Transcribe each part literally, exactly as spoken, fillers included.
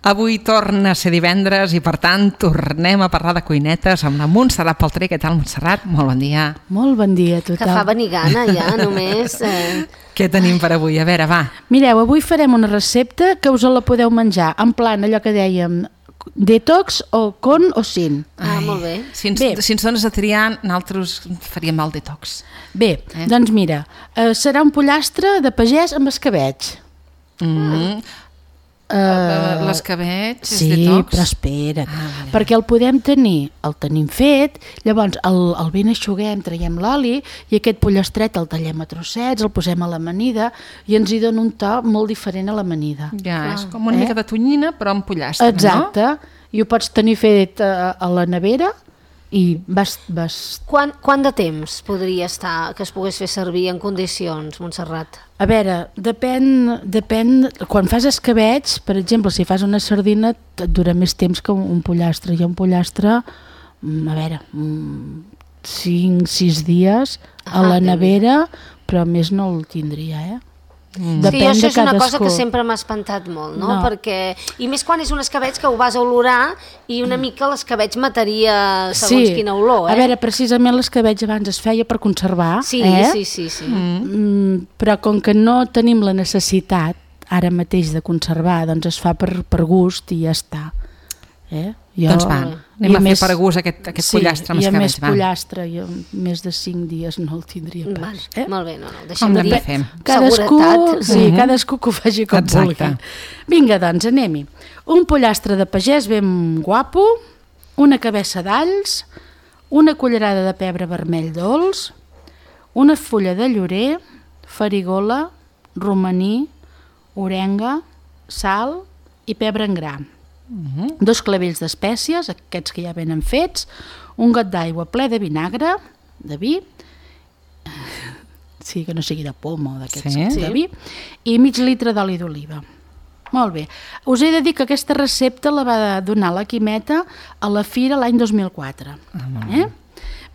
Avui torna a ser divendres i, per tant, tornem a parlar de cuinetes amb la Montserrat Paltré. Què tal, Montserrat? Molt bon dia. Molt bon dia a tothom. Que fa venir gana ja, només. Eh... Què tenim per avui? A veure, va. Mireu, avui farem una recepta que us la podeu menjar en plan allò que dèiem detox o con o sin. Ah, Ai, molt bé. Si ens, bé. Si ens dones a triar, nosaltres faríem el detox. Bé, eh? doncs mira, eh, serà un pollastre de pagès amb escabeig. Mm. Uh, L'escabeig és sí, detox? Però espera't, ah, perquè el podem tenir, el tenim fet, llavors el, el ben aixuguem, traiem l'oli i aquest pollastret el tallem a trossets, el posem a l'amanida i ens hi dona un to molt diferent a l'amanida. Ja, ah, és com una eh? mica de tonyina però amb pollastre, exacte, no? I ho pots tenir fet a, a la nevera i vas... vas... Quant, quant de temps podria estar que es pogués fer servir en condicions, Montserrat? A veure, depèn, depèn... Quan fas escabeig, per exemple, si fas una sardina, et dura més temps que un pollastre. Hi ha un pollastre, a veure, cinc sis dies a ah, la nevera, però més no el tindria, eh? Mm. Sí, això és una cosa que sempre m'ha espantat molt, no? no? Perquè, i més quan és un escabeig que ho vas a olorar i una mica l'escabeig mataria segons sí. quina olor, eh? A veure, precisament l'escabeig abans es feia per conservar, sí, eh? Sí, sí, sí. Mm, però com que no tenim la necessitat ara mateix de conservar, doncs es fa per, per gust i ja està. Eh? Jo, doncs va, anem a fer més, per gust aquest, aquest sí, pollastre amb escabeig. Sí, i a més va. pollastre, jo més de cinc dies no el tindria pas. Vale, eh? Molt bé, no, no, deixem de dir cadascú, seguretat. Sí, uh-huh. cadascú que ho faci com Exacte. vulgui. Vinga, doncs, anem-hi. Un pollastre de pagès ben guapo, una cabeça d'alls, una cullerada de pebre vermell dolç, una fulla de llorer, farigola, romaní, orenga, sal i pebre en gra. Uh-huh. Dos clavells d'espècies, aquests que ja venen fets, un got d'aigua ple de vinagre, de vi, sí, que no sigui de poma o d'aquests sí. de vi, i mig litre d'oli d'oliva. Molt bé. Us he de dir que aquesta recepta la va donar la Quimeta a la Fira l'any dos mil quatre. Uh-huh. Eh?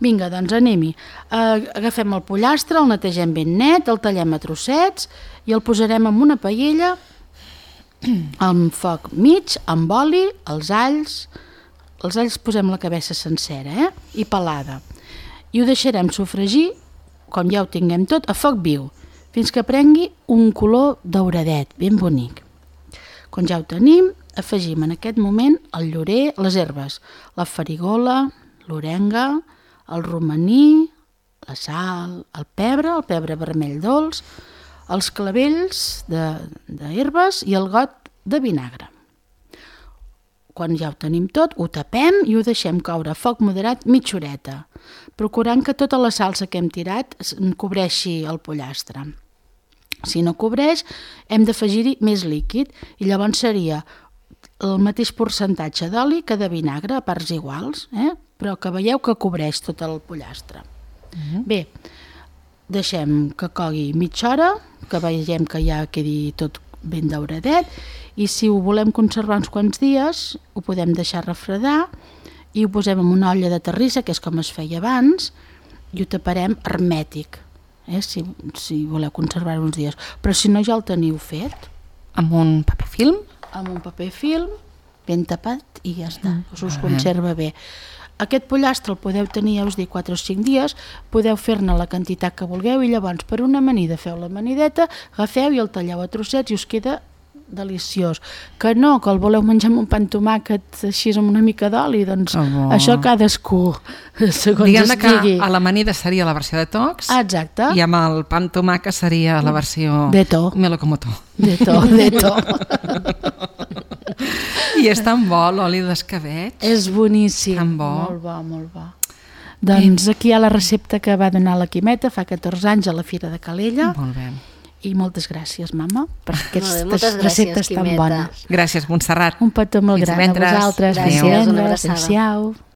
Vinga, doncs anem-hi. Uh, agafem el pollastre, el netegem ben net, el tallem a trossets i el posarem en una paella amb foc mig, amb oli, els alls, els alls posem la cabeça sencera, eh? I pelada. I ho deixarem sofregir, com ja ho tinguem tot, a foc viu, fins que prengui un color dauradet, ben bonic. Quan ja ho tenim, afegim en aquest moment el llorer, les herbes, la farigola, l'orenga, el romaní, la sal, el pebre, el pebre vermell dolç, els clavells d'herbes i el got de vinagre. Quan ja ho tenim tot, ho tapem i ho deixem coure a foc moderat mitja horeta, procurant que tota la salsa que hem tirat cobreixi el pollastre. Si no cobreix, hem d'afegir-hi més líquid i llavors seria el mateix percentatge d'oli que de vinagre a parts iguals, eh? Però que veieu que cobreix tot el pollastre. Uh-huh. Bé, deixem que cogui mitja hora, que veiem que ja quedi tot ben dauradet, i si ho volem conservar uns quants dies, ho podem deixar refredar i ho posem en una olla de terrissa, que és com es feia abans, i ho taparem hermètic, eh? si, si voleu conservar uns dies. Però si no ja el teniu fet. Amb un paper film? Amb un paper film, ben tapat, i ja està, us, us conserva bé. Aquest pollastre el podeu tenir, ja us dic, quatre o cinc dies, podeu fer-ne la quantitat que vulgueu i llavors per una amanida feu l'amanideta, agafeu i el talleu a trossets i us queda deliciós. Que no, que el voleu menjar amb un pa amb tomàquet així amb una mica d'oli, doncs oh. això cadascú, segons Diguem-ne estigui. Que a l'amanida seria la versió detox. Exacte. I amb el pa amb tomàquet seria la versió Deto. Melocomoto. Deto, deto. I és tan bo l'oli d'escabeig. És boníssim. Tan bo. Molt bo, molt bo. Doncs aquí hi ha la recepta que va donar la Quimeta fa catorze anys a la Fira de Calella. Molt bé. I moltes gràcies, mama, per aquestes gràcies, receptes tan Quimeta. bones. Gràcies, Montserrat. Un petó molt Fins gran divendres. a vosaltres. Gràcies, una abraçada. Adéu.